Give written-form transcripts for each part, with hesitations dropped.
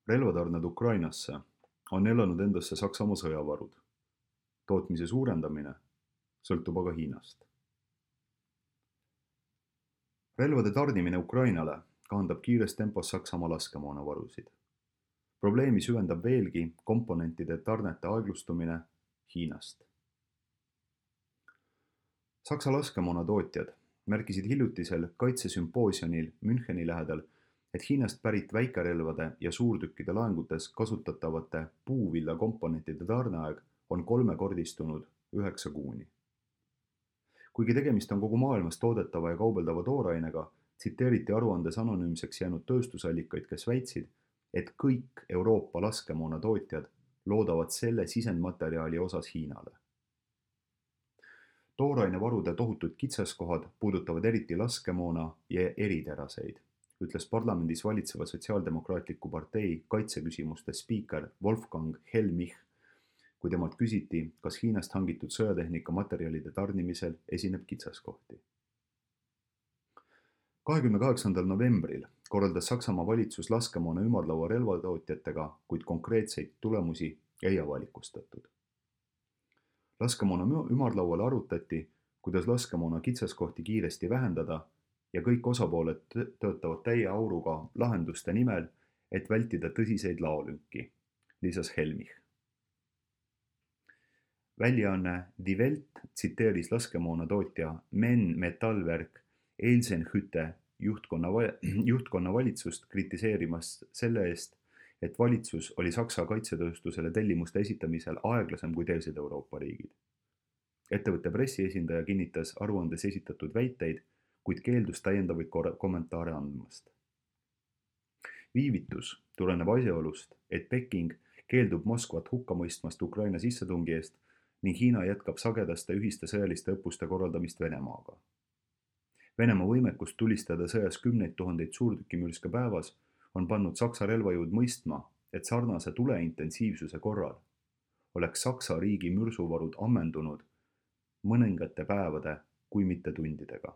Relvatarned Ukrainasse on elanud endasse Saksamaa sõjavarud. Tootmise suurendamine sõltub aga Hiinast. Relvade tarnimine Ukrainale kahandab kiires tempos Saksamaa laskemoonavarusid. Probleemi süvendab veelgi komponentide tarnete aeglustumine Hiinast. Saksa laskemoonatootjad märkisid hiljutisel kaitsesümpoosiumil Müncheni lähedal, et Hiinast pärit väikerelvade ja suurtükkide laengutes kasutatavate puuvillakomponentide tarneaeg on kolmekordistunud 9 kuuni. Kuigi tegemist on kogu maailmas toodetava ja kaubeldava toorainega, tsiteeriti aruandes anonüümseks jäänud tööstusallikaid, kes väitsid, et kõik Euroopa laskemoonatootjad loodavad selle sisendmaterjali osas Hiinale. Toorainevarude tohutud kitsaskohad puudutavad eriti laskemoona ja eriteraseid, ütles parlamendis valitseva Sotsiaaldemokraatliku partei kaitseküsimuste spiiker Wolfgang Helmich, kui temalt küsiti, kas Hiinast hangitud sõjatehnika materjalide tarnimisel esineb kitsaskohti. 28. novembril korraldas Saksamaa valitsus laskemoona ümarlaua relvatootjatega, kuid konkreetseid tulemusi ei avalikustatud. Laskemoona ümarlaual arutati, kuidas laskemoona kitsaskohti kiiresti vähendada ja kõik osapooled töötavad täie auruga lahenduste nimel, et vältida tõsiseid laolünki, lisas Helmich. Väljaanne Die Welt tsiteeris laskemoonatootja Men Metallwerk Eisenhütte juhtkonna valitsust kritiseerimas selle eest, et valitsus oli Saksa kaitsetööstusele tellimuste esitamisel aeglasem kui teised Euroopa riigid. Ettevõtte pressiesindaja kinnitas aruandes esitatud väiteid, kuid keeldus täiendavaid kommentaare andmast. Viivitus tuleneb asjaolust, et Peking keeldub Moskvat hukka mõistmast Ukraina sissetungi eest ning Hiina jätkab sagedaste ühiste sõjaliste õppuste korraldamist Venemaaga. Venemaa võimekust tulistada sõjas 10 000 suurtükimürske päevas on pannud Saksa relvajõud mõistma, et sarnase tuleintensiivsuse korral oleks Saksa riigi mürsuvarud ammendunud mõningate päevade, kui mitte tundidega.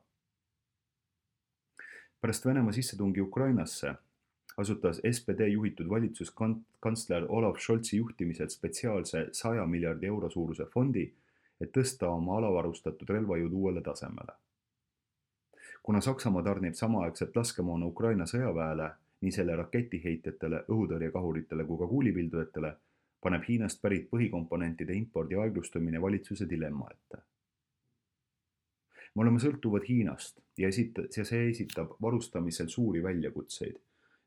Pärast Venemaa sissetungi Ukrainasse asutas SPD juhitud valitsus kantsler Olaf Scholzi juhtimisel spetsiaalse 100 miljardi euro suuruse fondi, et tõsta oma alavarustatud relvajõud uuele tasemele. Kuna Saksamaa tarnib samaaegselt laskemoona Ukraina sõjaväele, nii selle raketiheitjatele, õhutõrjekahuritele kui ka kuulipildujatele, paneb Hiinast pärit põhikomponentide impordi aeglustumine valitsuse dilemma ette. Me oleme sõltuvad Hiinast ja see esitab varustamisel suuri väljakutseid,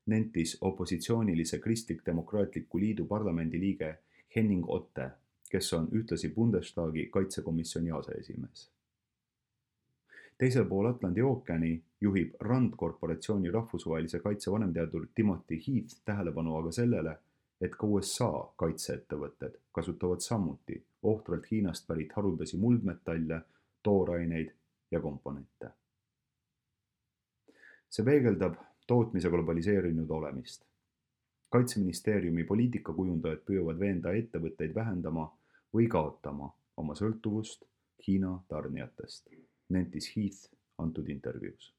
nentis opositsioonilise Kristlik-Demokraatliku Liidu parlamendi liige Henning Otte, kes on ühtlasi Bundestagi kaitsekomisjoni aseesimees. Teisel pool Atlandi ookeani juhib RAND korporatsiooni rahvusvahelise kaitse vanemteadur Timothy Heath tähelepanu aga sellele, et ka USA kaitseettevõtted kasutavad samuti ohtralt Hiinast pärit haruldasi muldmetalle, tooraineid ja komponente. See peegeldab tootmise globaliseerinud olemist. Kaitseministeeriumi poliitikakujundajad püüavad veenda ettevõtteid vähendama või kaotama oma sõltuvust Hiina tarnijatest, nentis Heath antud intervjuus.